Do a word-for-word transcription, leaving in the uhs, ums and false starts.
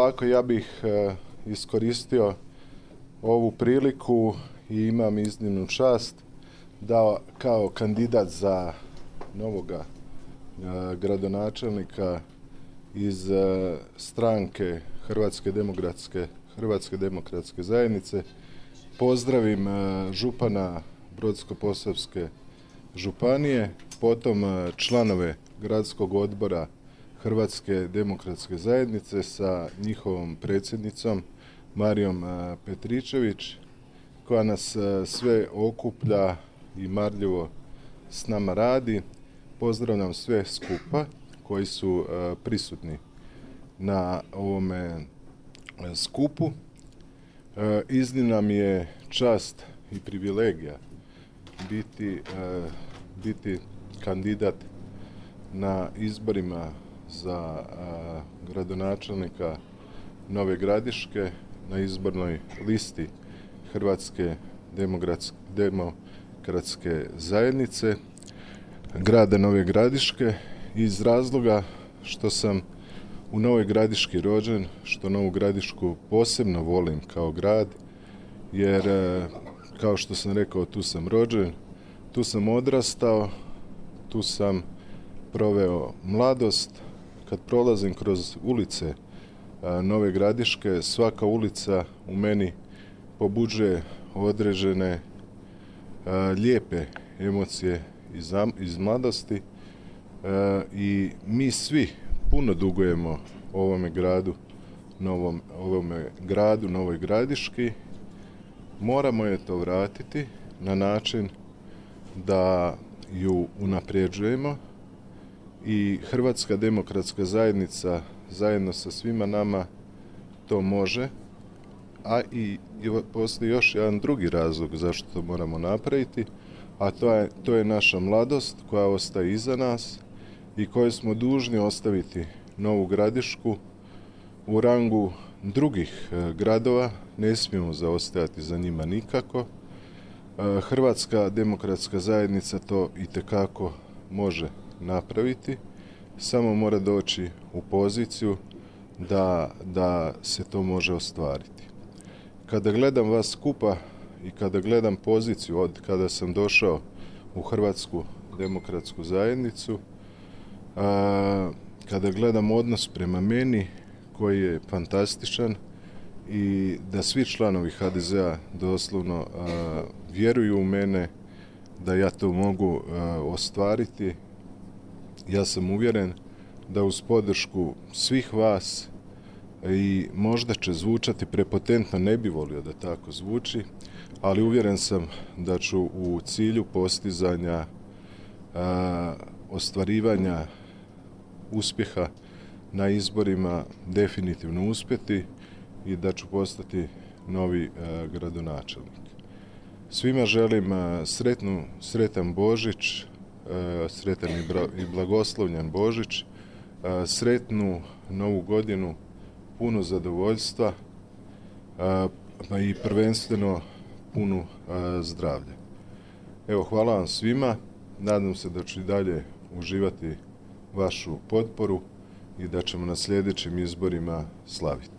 ovako, ja bih e, iskoristio ovu priliku i imam iznimnu čast da kao kandidat za novoga e, gradonačelnika iz e, stranke Hrvatske demokratske, Hrvatske demokratske zajednice pozdravim e, župana Brodsko-posavske županije, potom e, članove gradskog odbora Hrvatske demokratske zajednice sa njihovom predsjednicom Marijom Petričević, koja nas sve okuplja i marljivo s nama radi. Pozdravljam sve skupa koji su prisutni na ovome skupu. Iznimna mi je čast i privilegija biti, biti kandidat na izborima za a, gradonačelnika Nove Gradiške na izbornoj listi Hrvatske demokratske zajednice grada Nove Gradiške, iz razloga što sam u Novoj Gradiški rođen, što Novu Gradišku posebno volim kao grad, jer kao što sam rekao, tu sam rođen, tu sam odrastao, tu sam proveo mladost. Kad prolazim kroz ulice a, Nove Gradiške, svaka ulica u meni pobuđuje određene a, lijepe emocije iz, iz mladosti a, i mi svi puno dugujemo ovome gradu, novom, ovome gradu Novoj Gradiški. Moramo je to vratiti na način da ju unapređujemo, i Hrvatska demokratska zajednica zajedno sa svima nama to može, a i postoji još jedan drugi razlog zašto to moramo napraviti, a to je, to je naša mladost koja ostaje iza nas i koju smo dužni ostaviti Novu Gradišku u rangu drugih gradova. Ne smijemo zaostajati za njima nikako. Hrvatska demokratska zajednica to itekako može napraviti, samo mora doći u poziciju da, da se to može ostvariti. Kada gledam vas skupa i kada gledam poziciju od kada sam došao u Hrvatsku demokratsku zajednicu, a, kada gledam odnos prema meni koji je fantastičan i da svi članovi ha de zea doslovno a, vjeruju u mene da ja to mogu a, ostvariti, ja sam uvjeren da uz podršku svih vas, i možda će zvučati prepotentno, ne bi volio da tako zvuči, ali uvjeren sam da ću u cilju postizanja a, ostvarivanja uspjeha na izborima definitivno uspjeti i da ću postati novi a, gradonačelnik. Svima želim a, sretnu, sretan Božić, sretan i blagoslovljan Božić, sretnu Novu godinu, puno zadovoljstva i prvenstveno puno zdravlja. Evo, hvala vam svima, nadam se da ću i dalje uživati vašu potporu i da ćemo na sljedećim izborima slaviti.